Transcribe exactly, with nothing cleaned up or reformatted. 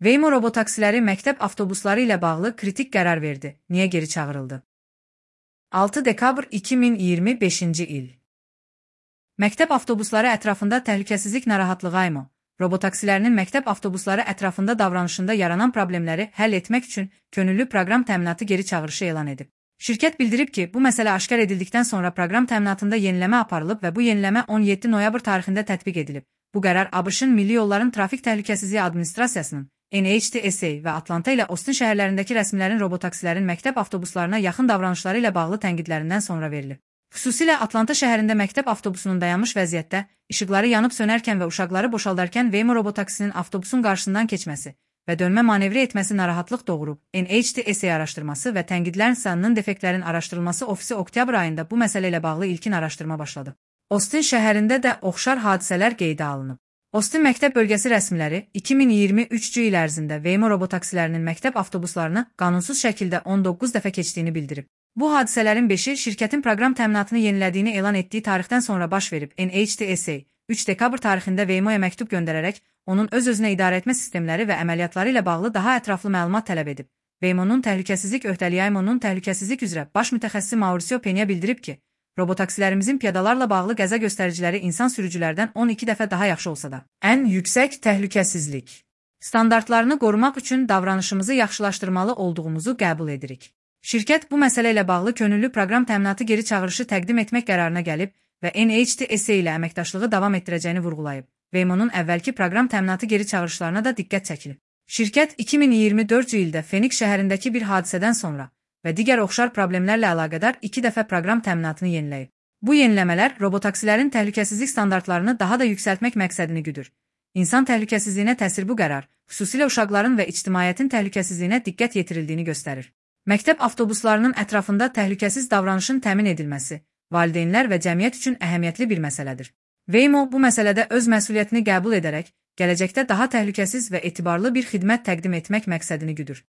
Waymo robotaksiləri məktəb avtobusları ilə bağlı kritik qərar verdi. Niyə geri çağırıldı? altı dekabr iki min iyirmi beşinci il. Məktəb avtobusları ətrafında təhlükəsizlik narahatlığı Waymo robotaksilərinin məktəb avtobusları ətrafında davranışında yaranan problemləri həll etmək üçün könüllü proqram təminatı geri çağırışı elan edib. Şirkət bildirib ki, bu məsələ aşkar edildikdən sonra proqram təminatında yeniləmə aparılıb və bu yeniləmə on yeddi noyabr tarixində tətbiq edilib. Bu qərar ABŞ-ın Milli Yolların Trafik Təhlükəsizliyi Administrasiyasının N H T S A və Atlanta ilə Austin şəhərlərindəki rəsmilərin robotaksilərin məktəb avtobuslarına yaxın davranışları ilə bağlı tənqidlərindən sonra verilib. Xüsusilə Atlanta şəhərində məktəb avtobusunun dayanmış vəziyyətdə, işıqları yanıb sönərkən və uşaqları boşaldarkən Waymo robotaksinin avtobusun qarşısından keçməsi və dönmə manevri etməsi narahatlıq doğurub. N H T S A araşdırması və tənqidlərin sanının defektlərin araşdırılması ofisi oktyabr ayında bu məsələ ilə bağlı ilkin araşdırma başladı. Austin şəhərində də oxşar hadisələr qeydə alınıb. Austin məktəb bölgəsi rəsmiləri iki min iyirmi üçüncü il ərzində Waymo robotaksilərinin məktəb avtobuslarını qanunsuz şəkildə on doqquz dəfə keçdiyini bildirib. Bu hadisələrin beşi şirkətin proqram təminatını yenilədiyini elan etdiyi tarixdən sonra baş verib. N H T S A üç dekabr tarixində Waymo'ya məktub göndərərək onun öz-özünə idarə etmə sistemləri və əməliyyatları ilə bağlı daha ətraflı məlumat tələb edib. Waymo'nun təhlükəsizlik öhdəliyi Waymo'nun təhlükəsizlik üzrə baş mütəxəssisi Mauricio Peña bildirib ki, robotaksilərimizin piyadalarla bağlı qəza göstəriciləri insan sürücülərdən on iki dəfə daha yaxşı olsa da, ən yüksək təhlükəsizlik standartlarını qorumaq üçün davranışımızı yaxşılaşdırmalı olduğumuzu qəbul edirik. Şirkət bu məsələ ilə bağlı könüllü proqram təminatı geri çağırışı təqdim etmək qərarına gəlib və N H T S A ilə əməkdaşlığı davam etdirəcəyini vurğulayıb. Waymo'nun əvvəlki proqram təminatı geri çağırışlarına da diqqət çəkilib. Şirkət iki min iyirmi dördüncü ildə Phoenix şəhərindəki bir hadisədən sonra və digər oxşar problemlərlə əlaqədar iki dəfə proqram təminatını yeniləyib. Bu yeniləmələr robotaksilərin təhlükəsizlik standartlarını daha da yüksəltmək məqsədini güdür. İnsan təhlükəsizliyinə təsir bu qərar, xüsusilə uşaqların və ictimaiyyətin təhlükəsizliyinə diqqət yetirildiyini göstərir. Məktəb avtobuslarının ətrafında təhlükəsiz davranışın təmin edilməsi, valideynlər və cəmiyyət üçün əhəmiyyətli bir məsələdir. Waymo bu məsələdə öz məsuliyyətini qəbul edərək, gələcəkdə daha təhlükəsiz və etibarlı bir xidmət təqdim etmək məqsədini güdür.